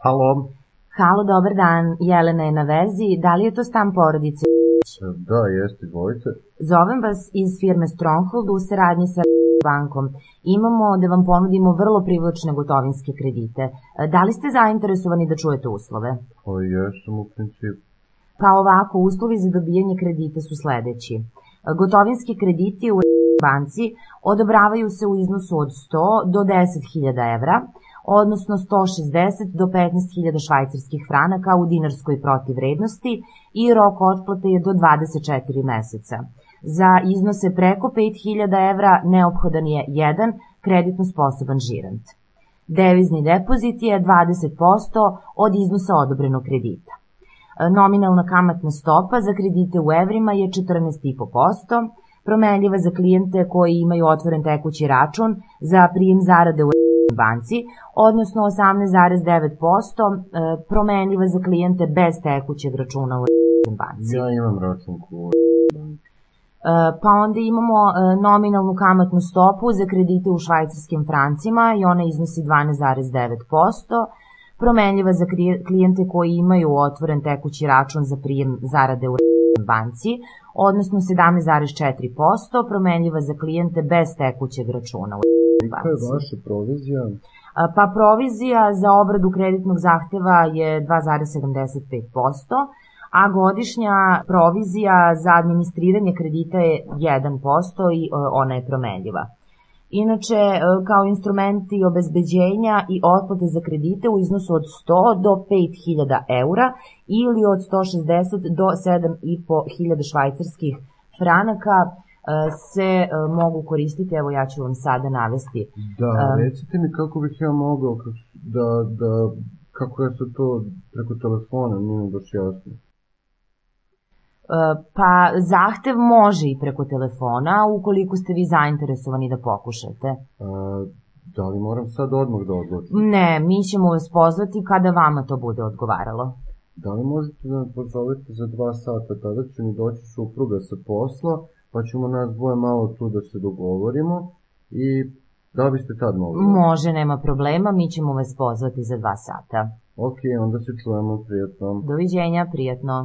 Halo. Halo, dobar dan. Jelena je na vezi. Da li je to stan porodice? Da, jeste, izvolite. Zovem vas iz firme Stronghold u saradnji sa bankom. Imamo da vam ponudimo vrlo privlačne gotovinske kredite. Da li ste zainteresovani da čujete uslove? Pa jesam u principu. Pa ovako, uslovi za dobijanje kredita su sledeći. Gotovinski krediti u banci odobravaju se u iznosu od 100 do 10.000 evra, odnosno 160 do 15.000 švajcarskih franaka u dinarskoj protivvrednosti i rok otplate je do 24 meseca. Za iznose preko 5.000 evra neophodan je jedan kreditno sposoban žirant. Devizni depozit je 20% od iznosa odobrenog kredita. Nominalna kamatna stopa za kredite u evrima je 14,5%, promenljiva za klijente koji imaju otvoren tekući račun za prijem zarade u banci, odnosno 18,9%, promenljiva za klijente bez tekućeg računa u banci. Ja imam račun u banci. Pa onda imamo nominalnu kamatnu stopu za kredite u švajcarskim francima i ona iznosi 12,9%, promenljiva za klijente koji imaju otvoren tekući račun za prijem zarade u banci, odnosno 17,4%, promenljiva za klijente bez tekućeg računa u banci. Koja je vaša provizija? Pa provizija za obradu kreditnog zahteva je 2,75%, a godišnja provizija za administriranje kredita je 1% i ona je promenljiva. Inače, kao instrumenti obezbeđenja i otplate za kredite u iznosu od 100 do 5.000 eura ili od 160 do 7.500 švajcarskih franaka se mogu koristiti, evo ja ću vam sada navesti. Da, recite mi kako bih ja mogao, kako je se to preko telefona, nije mi baš jasno. Pa zahtev može i preko telefona, ukoliko ste vi zainteresovani da pokušate. Da li moram sad odmah da odlučim? Ne, mi ćemo vas pozvati kada vama to bude odgovaralo. Da li možete da me pozovete za 2 sata, tada će mi doći supruga sa posla, pa ćemo nas dvoje malo tu da se dogovorimo i da biste tad mogli? Može, nema problema, mi ćemo vas pozvati za 2 sata. Ok, onda se čujemo, prijatno. Doviđenja, prijatno.